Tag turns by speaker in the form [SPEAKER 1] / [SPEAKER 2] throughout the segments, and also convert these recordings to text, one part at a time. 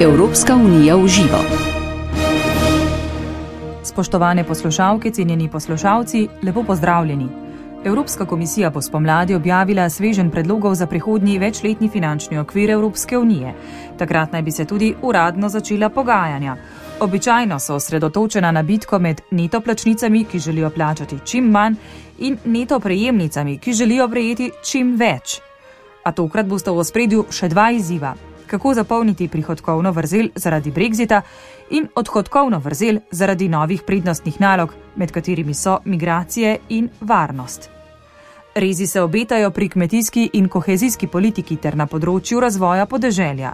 [SPEAKER 1] Evropska unija v živo.
[SPEAKER 2] Spoštovane poslušalke, cenjeni poslušalci, lepo pozdravljeni. Evropska komisija bo spomladi objavila sveženj predlogov za prihodnji večletni finančni okvir Evropske unije. Takrat naj bi se tudi uradno začela pogajanja. Običajno so osredotočena na bitko med neto plačnicami, ki želijo plačati čim manj, in neto prejemnicami, ki želijo prejeti čim več. A tokrat bosta v ospredju še dva izziva. Kako zapolniti prihodkovno vrzel zaradi Brexita in odhodkovno vrzel zaradi novih prednostnih nalog, med katerimi so migracije in varnost. Rezi se obetajo pri kmetijski in kohezijski politiki ter na področju razvoja podeželja.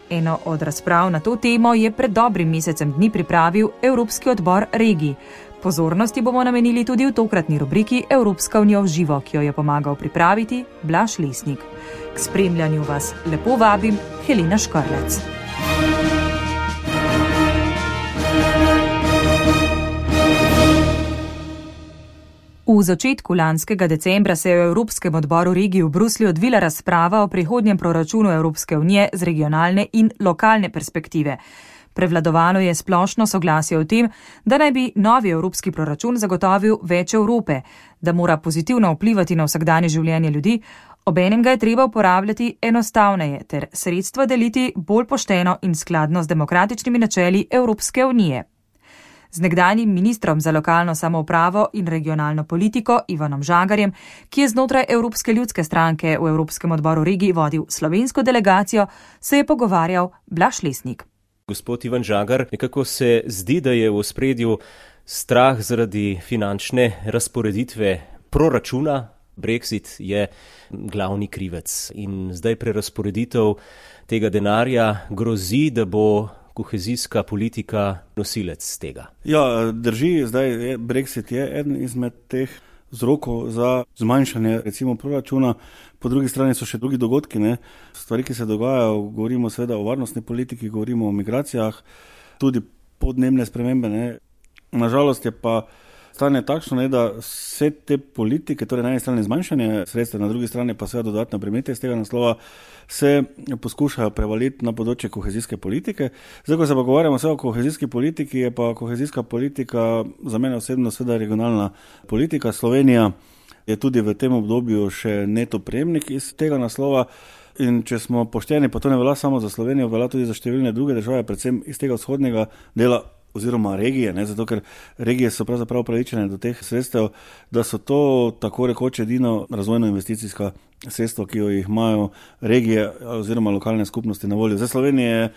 [SPEAKER 2] Eno od razprav na to temo je pred dobrim mesecem dni pripravil Evropski odbor regij. Pozornosti bomo namenili tudi v tokratni rubriki Evropska unija v živo, ki jo je pomagal pripraviti Blaž Lesnik. K spremljanju vas lepo vabim Helena Škrlec. V začetku lanskega decembra se je v Evropskem odboru regij v Bruslju odvila razprava o prihodnjem proračunu Evropske unije z regionalne in lokalne perspektive. Prevladovalo je splošno soglasje o tem, da naj bi novi evropski proračun zagotovil več Evrope, da mora pozitivno vplivati na vsakdanje življenje ljudi, obenem ga je treba uporabljati enostavneje ter sredstva deliti bolj pošteno in skladno z demokratičnimi načeli Evropske unije. Z nekdanjim ministrom za lokalno samoupravo in regionalno politiko Ivanom Žagarjem, ki je znotraj Evropske ljudske stranke v Evropskem odboru regij vodil slovensko delegacijo, se je pogovarjal Blaž Lesnik.
[SPEAKER 3] Gospod Ivan Žagar, nekako se zdi, da je v ospredju strah zaradi finančne razporeditve proračuna. Brexit je glavni krivec in zdaj prerazporeditev tega denarja grozi, da bo kohezijska politika nosilec tega.
[SPEAKER 4] Ja, drži, zdaj Brexit je eden izmed teh vzrokov za zmanjšanje recimo proračuna. Po drugi strani so še drugi dogodki, stvari, ki se dogajajo, govorimo seveda o varnostni politiki, govorimo o migracijah, tudi podnebne spremembe. Nažalost je pa stanje takšno, da vse te politike, torej na eni strani zmanjšanje sredstev, na drugi strani pa seveda dodatne premete iz tega naslova, se poskušajo prevaliti na področje kohezijske politike. Zdaj, ko se pa govorimo o kohezijski politiki, je pa kohezijska politika za mene osebno seveda regionalna politika. Slovenija je tudi v tem obdobju še neto prejemnik iz tega naslova. In če smo pošteni, pa to ne velja samo za Slovenijo, velja tudi za številne druge države, predvsem iz tega vzhodnega dela oziroma regije, zato ker regije so pravzaprav upravičene do teh sredstev, da so to tako rekoč edino razvojno-investicijska sredstva, ki jo jih imajo regije oziroma lokalne skupnosti na voljo. Za Slovenijo je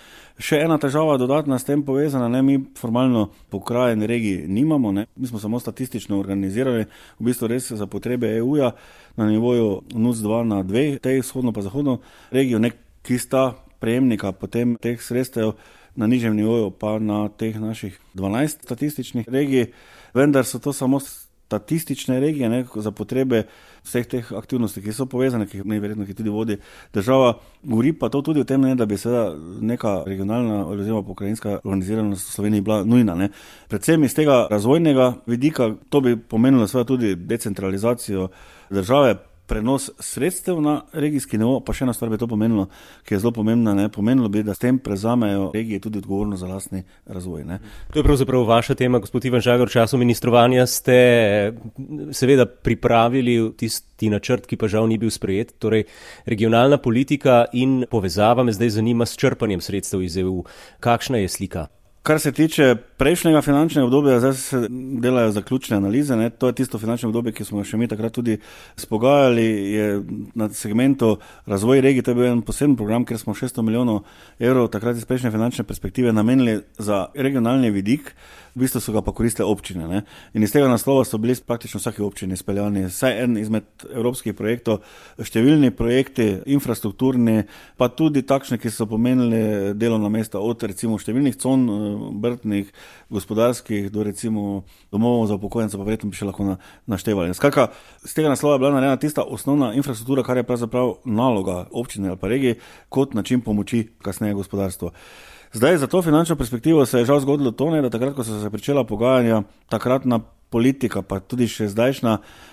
[SPEAKER 4] še ena težava dodatna s tem povezana, mi formalno pokrajin regij nimamo, mi smo samo statistično organizirali, v bistvu res za potrebe EU-ja na nivoju NUC2 na 2, tej vzhodno pa zahodno regijo, ki sta prejemnika potem teh sredstev na nižjem nivoju pa na teh naših 12 statističnih regij, vendar so to samo statistične regije za potrebe vseh teh aktivnosti, ki so povezane, ki verjetno tudi vodi država. Govori pa to tudi o tem, da bi seveda neka regionalna oziroma pokrajinska organiziranost v Sloveniji bila nujna. Predvsem iz tega razvojnega vidika, to bi pomenilo seveda tudi decentralizacijo države, prenos sredstev na regijski nivo, pa še ena stvar bi to pomenilo, ki je zelo pomembna, pomenilo bi, da s tem prezamejo regije tudi odgovornost za lastni razvoj.
[SPEAKER 3] To je pravzaprav vaša tema, gospod Ivan Žagar. V času ministrovanja ste seveda pripravili tisti načrt, ki pa žal ni bil sprejet, torej regionalna politika in povezava. Me zdaj zanima s črpanjem sredstev iz EU. Kakšna je slika?
[SPEAKER 4] Kar se tiče prejšnjega finančnega obdobja, zdaj se delajo zaključne analize. To je tisto finančno obdobje, ki smo še mi takrat tudi spogajali. Je na segmentu razvoj regij, to je bil en poseben program, kjer smo 600 milijonov evrov takrat iz prejšnje finančne perspektive namenili za regionalni vidik. V bistvu so ga pa koristile občine. In iz tega naslova so bili praktično vsaki občini speljani vsaj en izmed evropskih projektov, številni projekti, infrastrukturni, pa tudi takšni, ki so pomenili delovna mesta od recimo številnih con, obrtnih, gospodarskih, do recimo domov za upokojence, pa verjetno bi še lahko naštevali. Skratka, z tega naslova je bila narejena tista osnovna infrastruktura, kar je pravzaprav naloga občine ali pa regije, kot način pomoči kasneje gospodarstvo. Zdaj, za to finančno perspektivo se je žal zgodilo to, da takrat, ko so se pričela pogajanja, takratna politika, pa tudi še zdajšnja,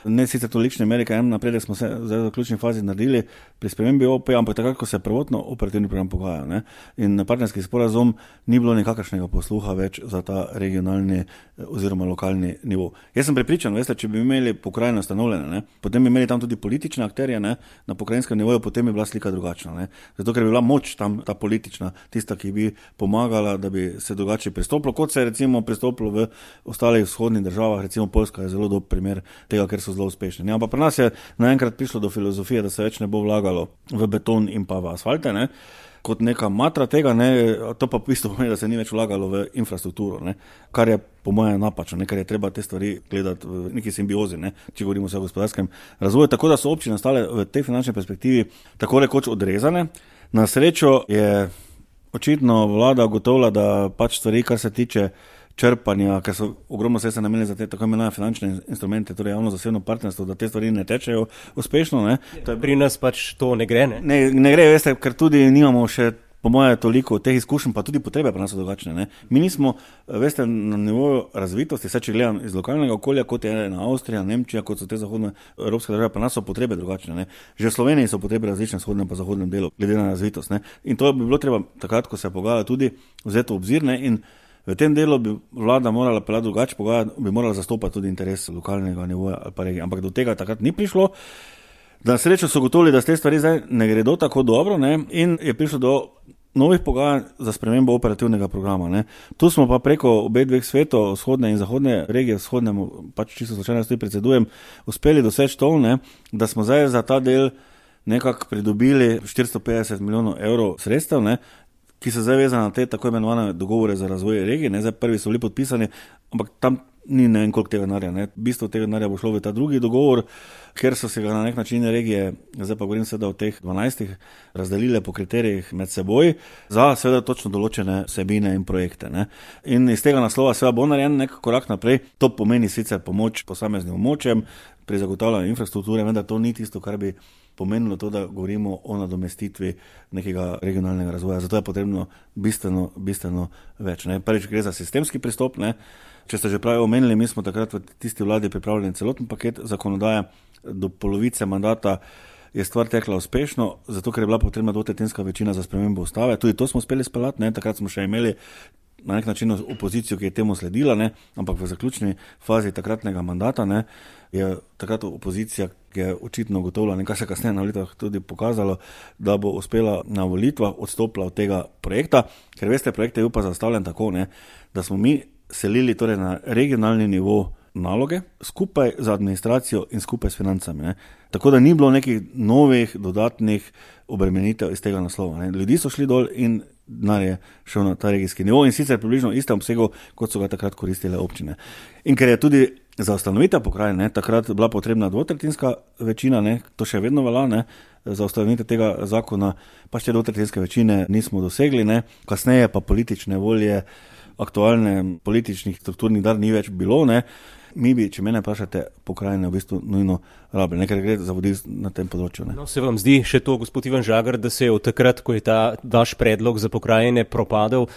[SPEAKER 4] ne sicer tolikšne meri, kaj napredek smo se zdaj v ključni fazi naredili pri spremembi OP, ampak takrat, ko se prvotno operativni program pogaja, ne, in partnerski sporazum ni bilo nikakršnega posluha več za ta regionalni oziroma lokalni nivo. Jaz sem prepričan, veste, če bi imeli pokrajine ustanovljene, ne, potem bi imeli tam tudi politične akterje, ne, na pokrajinskem nivoju, potem bi bila slika drugačna, ne. Zato, ker bi bila moč tam ta politična, tista, ki bi pomagala, da bi se drugače pristopilo, kot se je recimo pristopilo v ostalih vzhodnih državah, recimo Poljska je zelo dober primer tega, ker so zelo uspešni. Ne? Ampak pri nas je naenkrat prišlo do filozofije, da se več ne bo vlagalo v beton in pa v asfalte, ne? Kot neka matra tega, ne? To pa v bistvu pomeni, da se ni več vlagalo v infrastrukturo, ne? Kar je po mojem napačno, ne? Ker je treba te stvari gledati v neki simbiozi, ne? Če govorimo o gospodarskem razvoju, tako da so občine stale v tej finančni perspektivi tako rekoč odrezane. Na srečo je očitno vlada ugotovila, da pač stvari, kar se tiče črpanja, ker so ogromno sredstev namenili za te tako imenovane finančne instrumente, torej javno-zasebno partnerstvo, da te stvari ne tečejo uspešno. Ne?
[SPEAKER 3] Pri nas pač to ne gre, ne?
[SPEAKER 4] Ne gre, veste, ker tudi nimamo še po moje toliko teh izkušenj, pa tudi potrebe pri nas so drugačne. Ne? Mi nismo, veste, na nivoju razvitosti, vse če gledam iz lokalnega okolja, kot je na Avstrija, Nemčija, kot so te zahodne evropske države, pri nas so potrebe drugačne. Ne? Že v Sloveniji so potrebe različne v vzhodnem pa zahodnem delu, glede na razvitost. Ne? In to bi bilo treba takrat, ko se pogajala, tudi vzeti v obzir, ne? In v tem delu bi vlada morala pelati drugače pogajati, bi morala zastopati tudi interes lokalnega nivoja ali pa regije. Ampak do tega takrat ni prišlo. Na srečo so gotovili, da te stvari zdaj ne gredo tako dobro, ne? In je prišlo do novih pogajanj za spremembo operativnega programa. Ne? Tu smo pa preko obe dveh svetov, vzhodne in zahodne regije, vzhodnemu pač čisto slučajno tudi predsedujem, uspeli doseči to, ne? Da smo zdaj za ta del nekako pridobili 450 milijonov evrov sredstev, ne? Ki so zdaj vezane na te tako imenovane dogovore za razvoj regije. Zdaj prvi so bili podpisani, ampak tam ni ne vem koliko tega denarja. Bistvo tega denarja bo šlo v ta drugi dogovor, ker so se ga na nek način regije, zdaj pa govorim seveda o teh 12, razdelile po kriterijih med seboj za seveda točno določene vsebine in projekte. Ne. In iz tega naslova seveda bo narejen nek korak naprej. To pomeni sicer pomoč posameznim območjem pri zagotavljanju infrastrukture, vendar to ni tisto, kar bi pomenilo to, da govorimo o nadomestitvi nekega regionalnega razvoja. Zato je potrebno bistveno več. Ne. Prvič gre za sistemski pristop. Ne. Če ste že pravi omenili, mi smo takrat v tisti vladi pripravljeni celoten paket zakonodaje. Do polovice mandata je stvar tekla uspešno, zato ker je bila potrebna dvotretjinska večina za spremembo ustave. Tudi to smo uspeli speljati. Takrat smo še imeli na nek način opozicijo, ki je temu sledila, ne? Ampak v zaključni fazi takratnega mandata, ne, je takrat opozicija, ki je očitno ugotovila, nekaj se kasneje na volitvah tudi pokazalo, da bo uspela na volitvah odstopila od tega projekta, ker veste, projekt je bil pa zastavljen tako, ne, da smo mi selili torej na regionalni nivo naloge skupaj z administracijo in skupaj s financami. Ne. Tako da ni bilo nekih novih dodatnih obremenitev iz tega naslova. Ne. Ljudi so šli dol in denar je šel na ta regijski nivo in sicer približno istem obsegu, kot so ga takrat koristile občine. In ker je tudi za ustanovitev pokrajine takrat bila potrebna dvotretjinska večina, ne, to še vedno velja, ne, za ustanovitev tega zakona, pa še dvotretjinske večine nismo dosegli, ne, kasneje pa politične volje, aktualne političnih strukturnih dar ni več bilo, ne. Mi bi, če mene vprašate, pokrajine v bistvu nujno rabili, ker gre za vodil na tem področju. Ne.
[SPEAKER 3] No, se vam zdi še to, gospod Ivan Žagar, da se je od takrat, ko je ta vaš predlog za pokrajine propadel,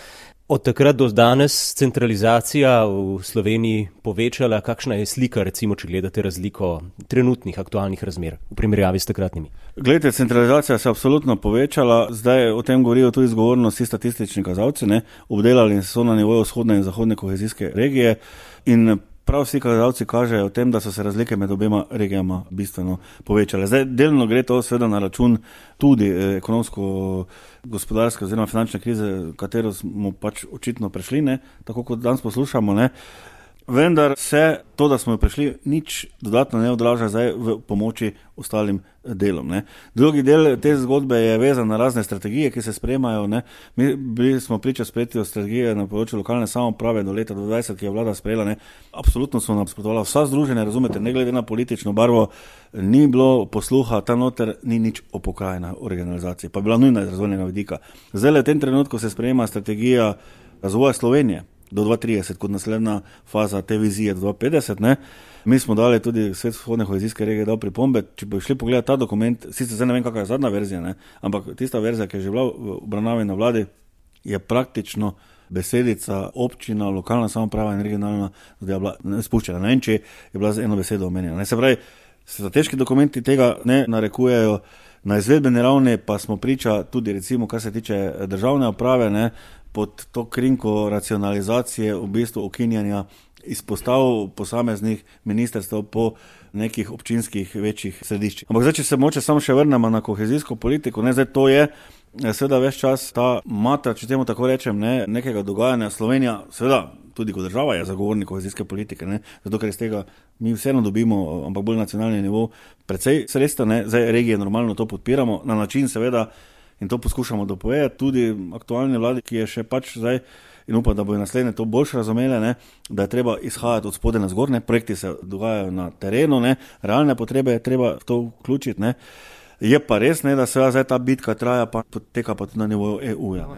[SPEAKER 3] od takrat do danes centralizacija v Sloveniji povečala? Kakšna je slika, recimo, če gledate razliko trenutnih aktualnih razmer v primerjavi s takratnimi?
[SPEAKER 4] Glejte, centralizacija se je absolutno povečala. Zdaj o tem govorijo tudi zgovorno vsi statistični kazalci, ne, obdelali so na nivoju vzhodne in zahodne kohezijske regije in prav vsi kazalci kažejo o tem, da so se razlike med obema regijama bistveno povečale. Zdaj delno gre to seveda na račun tudi ekonomsko-gospodarske oziroma finančne krize, katero smo pač očitno prešli, ne, tako kot danes poslušamo, ne. Vendar se to, da smo jo prešli, nič dodatno ne odraža zdaj v pomoči ostalim delom. Ne. Drugi del te zgodbe je vezan na razne strategije, ki se sprejemajo. Ne. Mi bili smo priča sprejetju strategije na področju lokalne samouprave do leta 2020, ki je vlada sprejela. Ne. Absolutno so nasprotovala vsa združenja, razumete, ne glede na politično barvo, ni bilo posluha, tam noter ni nič o pokrajinah, o regionalizaciji, pa bila nujna iz razvojnega vidika. Zdaj v tem trenutku se sprejema strategija razvoja Slovenije do 2030, kot naslednja faza te vizije do 2050, ne. Mi smo dali tudi Svet vzhodne kohezijske regije dal pripombe, če bi šli pogledati ta dokument, sicer zdaj ne vem, kakva je zadnja verzija, ne, ampak tista verzija, ki je že bila v obravnavi na vladi, je praktično besedica občina, lokalna samouprava in regionalna zadeva bila spuščena. Ne vem, če je bila z eno besedo omenjena. Se pravi, strateški dokumenti tega ne narekujejo, na izvedbeni ravni pa smo priča tudi recimo, kar se tiče državne uprave, ne, pod to krinko racionalizacije, v bistvu ukinjanja izpostav posameznih ministrstev po nekih občinskih večjih središčih. Ampak zdaj, če se moče samo še vrnemo na kohezijsko politiko, ne, zdaj to je seveda ves čas ta matra, če temu tako rečem, ne, nekega dogajanja. Slovenija, seveda, tudi kot država je zagovornik kohezijske politike, ne, zato ker iz tega mi vseeno dobimo, ampak bolj nacionalni nivo, precej sredstev, ne, zdaj regije normalno to podpiramo, na način seveda, in to poskušamo dopovedati tudi aktualni vladi, ki je še pač zdaj, in upam, da bojo naslednje to boljše razumele, ne, da je treba izhajati od spode na zgor, ne, projekti se dogajajo na terenu, ne, realne potrebe je treba v to vključiti, ne. Je pa res, ne, da se zdaj ta bitka traja, pa poteka pa tudi na nivoju EU-ja.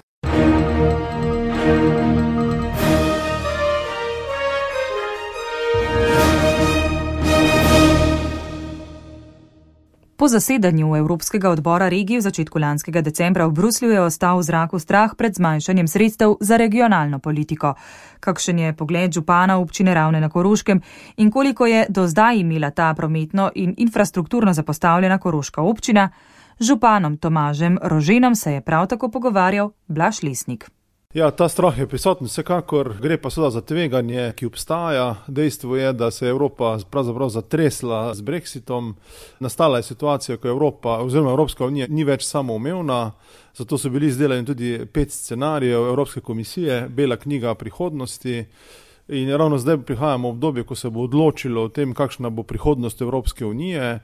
[SPEAKER 2] Po zasedanju Evropskega odbora regij v začetku lanskega decembra v Bruslju je ostal v zraku strah pred zmanjšanjem sredstev za regionalno politiko. Kakšen je pogled župana občine Ravne na Koroškem in koliko je do zdaj imela ta prometno in infrastrukturno zapostavljena koroška občina, z županom Tomažem Roženom se je prav tako pogovarjal Blaž Lesnik.
[SPEAKER 5] Ja, ta strah je prisoten, vsekakor gre pa seveda za tveganje, ki obstaja. Dejstvo je, da se je Evropa pravzaprav zatresla z Brexitom. Nastala je situacija, ko Evropa oziroma Evropska unija ni več samoumevna, zato so bili izdelani tudi 5 scenarijev Evropske komisije, bela knjiga prihodnosti. In ravno zdaj prihajamo v obdobje, ko se bo odločilo o tem, kakšna bo prihodnost Evropske unije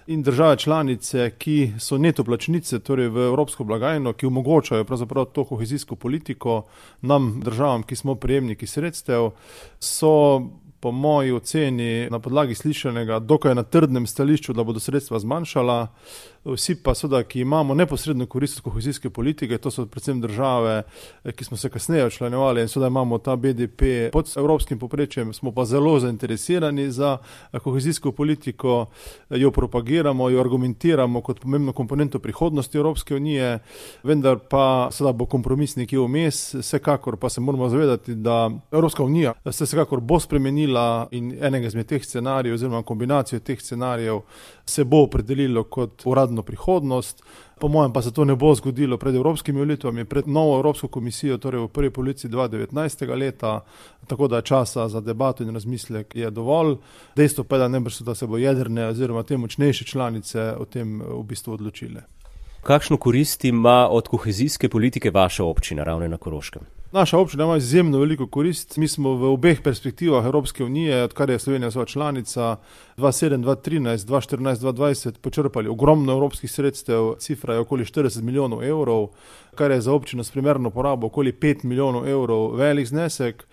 [SPEAKER 5] in države članice, ki so neto plačnice, torej v Evropsko blagajno, ki omogočajo pravzaprav to kohezijsko politiko nam, državam, ki smo prejemniki sredstev, so po moji oceni na podlagi slišanega dokaj na trdnem stališču, da bodo sredstva zmanjšala. Vsi pa seveda, ki imamo neposredno korist od kohezijske politike, to so predvsem države, ki smo se kasneje včlanjevali in seveda imamo ta BDP pod evropskim povprečjem, smo pa zelo zainteresirani za kohezijsko politiko, jo propagiramo, jo argumentiramo kot pomembno komponento prihodnosti Evropske unije, vendar pa seveda bo kompromis nekje vmes, vsekakor pa se moramo zavedati, da Evropska unija se vsekakor bo spremenila in enega izmed teh scenarijev oziroma kombinacijo teh scenarijev se bo opredelilo kot uradno prihodnost. Po mojem pa se to ne bo zgodilo pred evropskimi volitvami, pred novo Evropsko komisijo, torej v prvi polovici 2019. leta, tako da časa za debato in razmislek je dovolj. Dejstvo pa je, da najbrž da se bo jedrne oziroma te močnejše članice o tem v bistvu odločile.
[SPEAKER 3] Kakšno korist ima od kohezijske politike vaša občina Ravne na Koroškem?
[SPEAKER 5] Naša občina ima izjemno veliko korist. Mi smo v obeh perspektivah Evropske unije, odkar je Slovenija svoja članica, 2007, 2013, 2014, 2020 počrpali ogromno evropskih sredstev, cifra je okoli 40 milijonov evrov, kar je za občino s primerno porabo okoli 5 milijonov evrov velik znesek.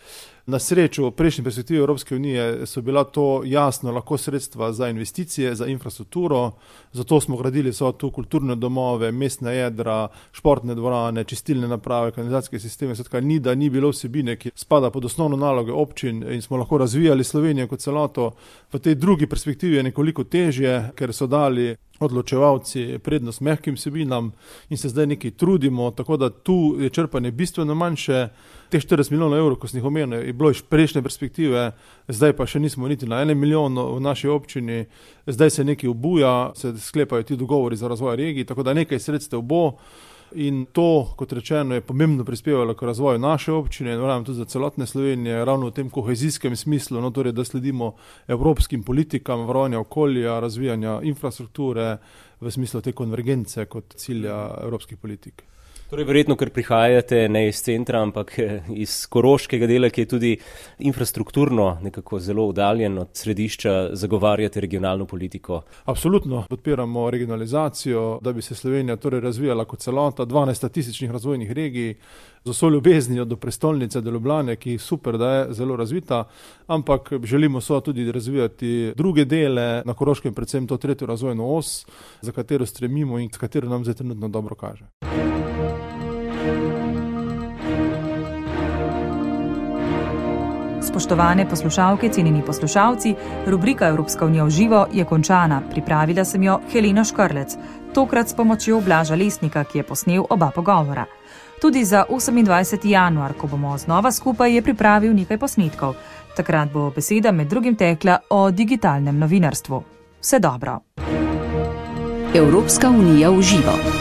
[SPEAKER 5] Na srečo v prejšnji perspektivi Evropske unije so bila to jasno lahko sredstva za investicije, za infrastrukturo, zato smo gradili so tu kulturne domove, mestne jedra, športne dvorane, čistilne naprave, kanalizacijske sisteme, skratka ni bilo vsebine, ki spada pod osnovno naloge občin in smo lahko razvijali Slovenijo kot celoto. V tej drugi perspektivi je nekoliko težje, ker so dali odločevalci prednost mehkim vsebinam in se zdaj nekaj trudimo, tako da tu je črpanje bistveno manjše. Teh 40 milijonov evrov, ko sem jih omenil, je bilo iz prejšnje perspektive, zdaj pa še nismo niti na 1 milijon v naši občini, zdaj se nekaj obuja, se sklepajo ti dogovori za razvoj regij, tako da nekaj sredstev bo in to, kot rečeno, je pomembno prispevalo k razvoju naše občine in verjamem tudi za celotne Slovenije, ravno v tem kohezijskem smislu, no, torej, da sledimo evropskim politikam varovanja okolja, razvijanja infrastrukture v smislu te konvergence kot cilja evropskih politik.
[SPEAKER 3] Torej, verjetno, ker prihajate ne iz centra, ampak iz koroškega dela, ki je tudi infrastrukturno nekako zelo oddaljen od središča, zagovarjate regionalno politiko.
[SPEAKER 5] Absolutno podpiramo regionalizacijo, da bi se Slovenija torej razvijala kot celota, 12 statističnih razvojnih regij, z vso ljubeznijo do prestolnice, do Ljubljane, ki super, da je zelo razvita, ampak želimo so tudi razvijati druge dele, na Koroškem predvsem to 3. razvojno os, za katero stremimo in s katero nam zdaj trenutno dobro kaže.
[SPEAKER 2] Spoštovane poslušalke, cenjeni poslušalci, rubrika Evropska unija v živo je končana. Pripravila sem jo Helena Škrlec, tokrat s pomočjo Blaža Lesnika, ki je posnel oba pogovora. Tudi za 28. januar, ko bomo znova skupaj, je pripravil nekaj posnetkov. Takrat bo beseda med drugim tekla o digitalnem novinarstvu. Vse dobro.
[SPEAKER 1] Evropska unija v živo.